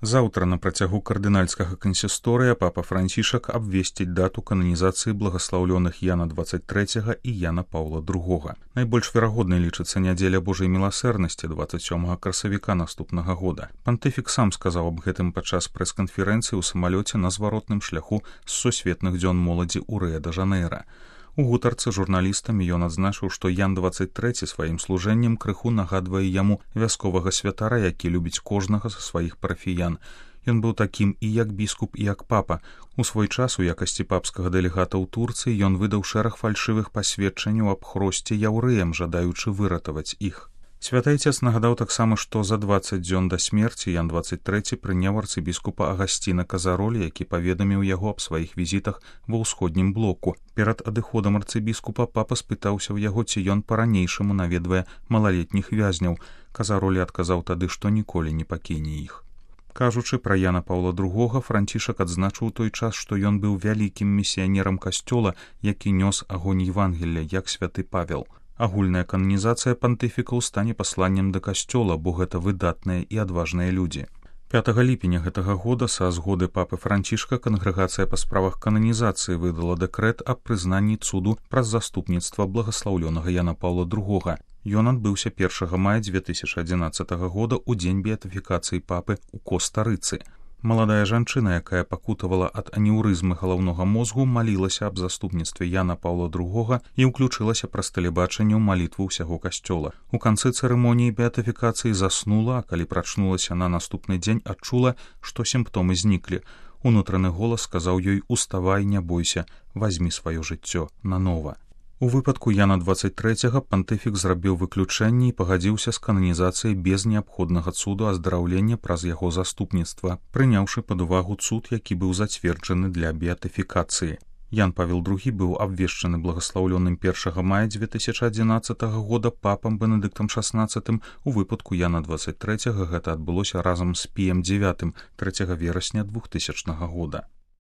Заўтра на працягу кардынальскага кансісторыя папа Францішак абвесціць дату кананізацыі благаслаўлёных Яна 23 і Яна Паўла II. Найбольш верагоднай лічыцца нядзеля Божай міласэрнасці 27 красавіка наступнага года. Пантыфік сам сказаў аб гэтым падчас прэс-канферэнцыі ў самалёце на зваротным шляху з сусветных дзён моладзі ў Рыа-дэ-Жанэйра. У гутарцы журналістам ён адзначыў, што Ян 23 сваім служэннем крыху нагадвае яму вясковага святара, які любіць кожнага са сваіх парафіян. Ён быў такім і як біскуп, і як папа. У свой час у якасці папскага дэлегата ў Турцыі ён выдаў шэраг фальшывых пасведчанняў аб хросце яўрэям, жадаючы выратаваць іх. Святы Айцец нагадаў таксама, што за 20 дзён да смерці Ян 23 прыняў арцыбіскупа Агасціна Казаролі, які паведаміў яго аб сваіх візітах ва ўсходнім блоку. Перад адыходам арцыбіскупа папа спытаўся ў яго, ці ён па-ранейшаму наведвае малалетніх вязняў. Казаролі адказаў тады, што ніколі не пакіне іх. Кажучы пра Яна Паўла II, Францішак адзначыў той час, што ён быў вялікім місіянерам касцёла, які нёс агонь Евангелля, як святы Павел. Агульная кананізацыя пантыфікаў стане пасланнем да касцёла, бо гэта выдатныя і адважныя людзі. 5 ліпеня гэтага года са згоды папы Францішка кангрэгацыя па справах кананізацыі выдала дэкрэт аб прызнанні цуду праз заступніцтва благаслаўлёнага Яна Паўла II. Ён адбыўся 1 мая 2011 года ў дзень беатыфікацыі папы ў Коста-Рыцы. Маладая жанчына, якая пакутавала ад анеўрызмы галаўнога мозгу, малілася аб заступніцтве Яна Паўла II і ўключылася праз тэлебачанне ў малітву ўсяго касцёла. У канцы цырымоніі беатыфікацыі заснула, а калі прачнулася на наступны дзень, адчула, што сімптомы зніклі. Унутраны голас сказаў ёй: «Уставай, не бойся, вазьмі сваё жыццё нанова». У выпадку Яна 23 пантыфік зрабіў выключэнне і пагадзіўся з кананізацыяй без неабходнага цуду аздараўлення праз яго заступніцтва, прыняўшы пад увагу цуд, які быў зацверджаны для беатыфікацыі. Ян Павел II быў абвешчаны благаслаўлёным 1 мая 2011 года папам Бенедыктам XVI. У выпадку Яна 23 гэта адбылося разам з Піем IX 3 верасня 2000 года.